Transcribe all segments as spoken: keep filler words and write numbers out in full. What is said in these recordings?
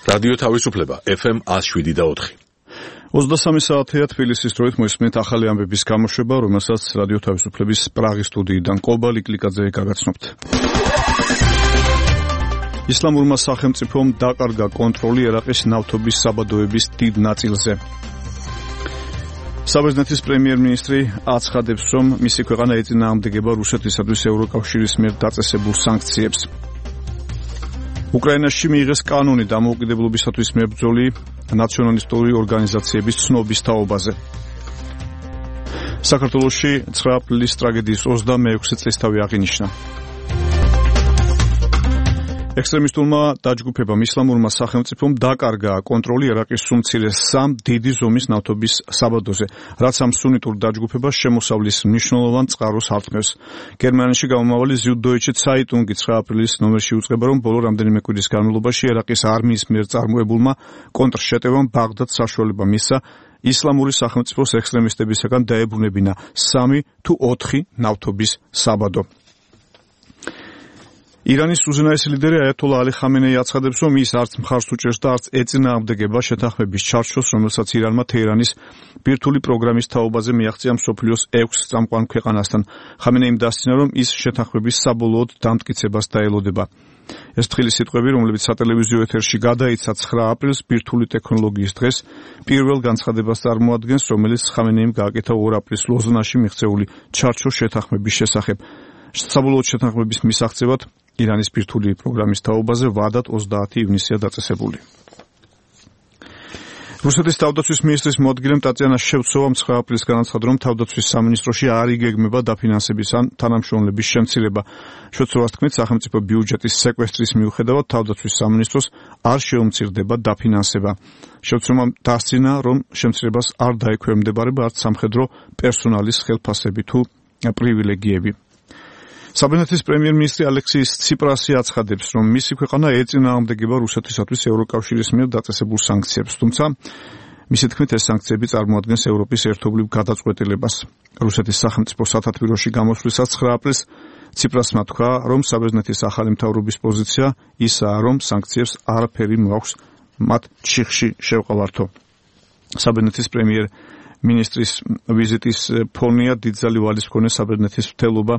რადიო თავისუფლება ეფ ემ one oh seven და four. ოცდასამი საათია თბილისის დროით მოისმენთ ახალი ამბების გამოშვება, რომელსაც რადიო თავისუფლების პრაღის სტუდიიდან კობა ლიკლიკაძე გაგაცნობთ. ისლამურმა სახელმწიფომ დაკარგა კონტროლი ერაყის ნავთობის საბადოების დიდ ნაწილზე. საბერძნეთის პრემიერ-მინისტრი აცხადებს, რომ მისი ქვეყანა ეწინააღმდეგება რუსეთისათვის ევროკავშირის მიერ დაწესებულ სანქციებს. უკრაინაში მიიღეს კანონი დამოუკიდებლობისათვის მებრძოლი ნაციონალისტური ორგანიზაციების ცნობის თაობაზე. საქართველოში ცხრა აპრილის ტრაგედიის ოცდამეექვსე წლისთავი აღინიშნა. ექსტრემისტულმა დაჯგუფებამ ისლამურმა სახელმწიფომ დაკარგა კონტროლი ერაყის უმცირეს სამ დიდი ზომის ნავთობის საბადოზე, რაც ამ სუნიტურ დაჯგუფებას შემოსავლის მნიშვნელოვან წყაროს ართმევს. გერმანიაში გამომავალი Süddeutsche Zeitung ცხრა აპრილის ნომერში უწყება, რომ ბოლო რამდენიმე კვირის განმავლობაში ერაყის არმიის მიერ წარმოებულმა კონტრშეტევამ ბაღდადს საშუალება მისცა ისლამური სახელმწიფოს ექსტრემისტებისაგან დაებრუნებინა სამი თუ ოთხი ნავთობის საბადო. ირანის უზენაესი ლიდერი აიათოლა ალი ხამენეი აცხადებს, რომ ის არც მხარს უჭერს და არც ეწინააღმდეგება შეთანხმების ჩარჩოს, რომელსაც ირანმა თეირანის ბირთვული პროგრამის თაობაზე მიაღწია მსოფლიოს ექვს წამყვან ქვეყანასთან. ხამენეიმ დასცინა, რომ ის შეთანხმების საბოლოოდ დამტკიცებას დაელოდება. ეს თხილი სიტყვები, რომლებიც სატელევიზიო ეთერში გადაიცა ცხრა აპრილს ბირთვული ტექნოლოგიის დღეს, პირველ განცხადებას წარმოადგენს, რომელიც ხამენეიმ გააკეთა ორ აპრილის ლოზანაში მიღწეული ჩარჩოს შეთანხმების შესახებ. საბოლოოდ შეთანხმების მისაღწევად ირანის ბირთვული პროგრამის თაობაზე ვადად ოცდაათი ივნისია დაწესებული. რუსეთის თავდაცვის მინისტრის მოადგილემ ტატიანა შევცოვამ ცხრა აპრილის განაცხადა, რომ თავდაცვის სამინისტროში არ იგეგმება დაფინანსების ან თანამშრომლების შემცირება. შევცოვას თქმით, სახელმწიფო ბიუჯეტის სეკვესტრის მიუხედავად თავდაცვის სამინისტროს არ შეუმცირდება დაფინანსება. შევცოვამ დასცინა, რომ შემცირებას არ დაექვემდებარება არც სამხედრო პერსონალის ხელფასები თუ პრივილეგიები. საბერძნეთის პრემიერ-მინისტრი ალექსის ციპრასი აცხადებს, რომ მისი ქვეყანა ეწინააღმდეგება რუსეთისათვის ევროკავშირის მიერ დაწესებულ სანქციებს, თუმცა მისი თქმით ეს სანქციები წარმოადგენს ევროპის ერთობლივ გადაწყვეტილებას. რუსეთის სახელმწიფო სათათბიროში გამოსვლისას ცხრა აპრილს ციპრასმა თქვა, რომ საბერძნეთის ახალი მთავრობის პოზიცია ისაა, რომ სანქციებს არაფერი მოაქვს მათ ჩიხში შევყავართო. საბერძნეთის პრემიერ-მინისტრის ვიზიტის ფონია დიდძალი ვალის მქონე საბერძნეთის მრთელობა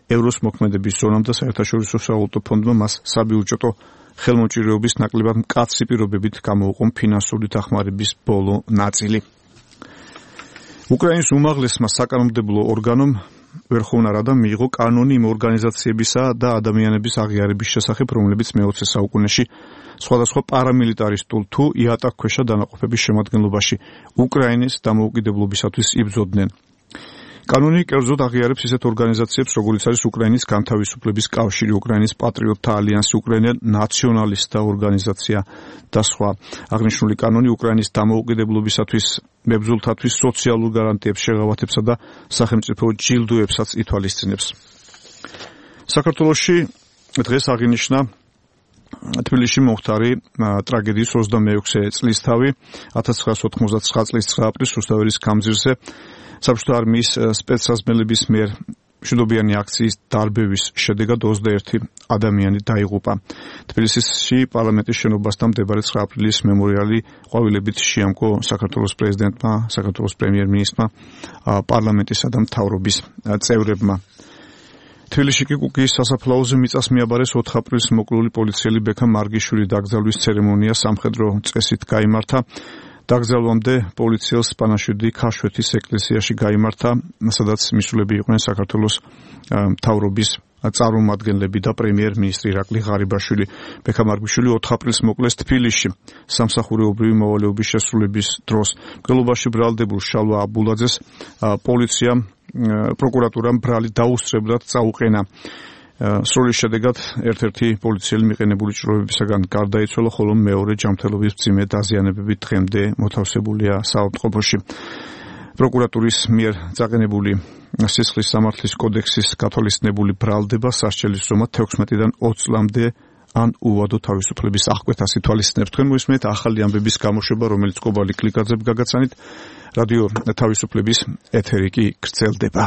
ევროს მოქმედების ზონამ და საერთაშორისო სავალუტო ფონდმა მას საბიუჯეტო ხელმოჭირეობის ნაკლებად მკაცრი პირობებით გამოუყო ფინანსური დახმარების ბოლო ნაწილი. უკრაინის უმაღლესმა საკანონმდებლო ორგანომ ვერხოვნა რადა მიიღო კანონი იმ ორგანიზაციებისა და ადამიანების აღიარების შესახებ, რომლებიც მეოცე საუკუნეში სხვადასხვა პარამილიტარისტულ თუ იატაკქვეშა დანაყოფების შემადგენლობაში უკრაინის დამოუკიდებლობისათვის იბრძოდნენ. კანონი კერძოდ აღიარებს ისეთ ორგანიზაციებს, როგორიც არის უკრაინის განთავისუფლების კავშირი, უკრაინის პატრიოტთა ალიანსი, უკრაინელ ნაციონალისტთა ორგანიზაცია და სხვა. აღნიშნული კანონი უკრაინის დამოუკიდებლობისათვის მებრძოლთათვის სოციალურ გარანტიებს შეღავათებსა და სახელმწიფო ჯილდოებსაც ითვალისწინებს. საქართველოში დღეს აღინიშნა თბილისში მომხდარი ტრაგედიის ოცდამეექვსე წლისთავი ათას ცხრაას ოთხმოცდათცხრა წლის ცხრა აპრილის რუსთაველის გამზირზე საბჭოთა არმიის სპეცსაზმელების მიერ მშვიდობიანი აქციის დარბევის შედეგად ოცდაერთი ადამიანი დაიღუპა. თბილისში პარლამენტის შენობასთან მდებარე ცხრა აპრილის მემორიალი ყვავილებით შეამკო საქართველოს პრეზიდენტმა, საქართველოს პრემიერ-მინისტრმა, პარლამენტისა და მთავრობის წევრებმა. თბილისში კი კუკიის სასაფლაოზე მიწას მიაბარეს ოთხ აპრილს მოკლული პოლიციელი ბექა მარგიშვილი დაკრძალვის ცერემონია სამხედრო წესით გაიმართა. დაკრძალვამდე პოლიციელს პანაშვიდი ქაშვეთის ეკლესიაში გაიმართა, სადაც მისულები იყვნენ საქართველოს მთავრობის წარმომადგენლები და პრემიერ-მინისტრი ირაკლი ღარიბაშვილი. ბექა მარგიშვილი ოთხ აპრილს მოკლეს თბილისში სამსახურეობრივი მოვალეობის შესრულების დროს. მკვლელობაში ბრალდებულ შალვა აბულაძეს პოლიციამ პროკურატურამ ბრალი დაუსწრებლად წაუყენა. სროლის შედეგად ერთ-ერთი პოლიციელი მიყენებული ჭრილობებისაგან გარდაიცვალა, ხოლო მეორე ჯანმრთელობის მძიმე დაზიანებებით დღემდე მოთავსებულია საავადმყოფოში. პროკურატურის მიერ წაყენებული სისხლის სამართლის კოდექსის გათვალისწინებული ბრალდება სასჯელის ზომა თექვსმეტიდან ოცი წლამდე ან უვადო თავისუფლების აღკვეთას ითვალისწინებს. თქვენ მოისმენთ ახალი ამბების გამოშვება, რომელიც კობა ლიკლიკაძემ გაგაცანით. რადიო თავისუფლების ეთერი კი გრძელდება.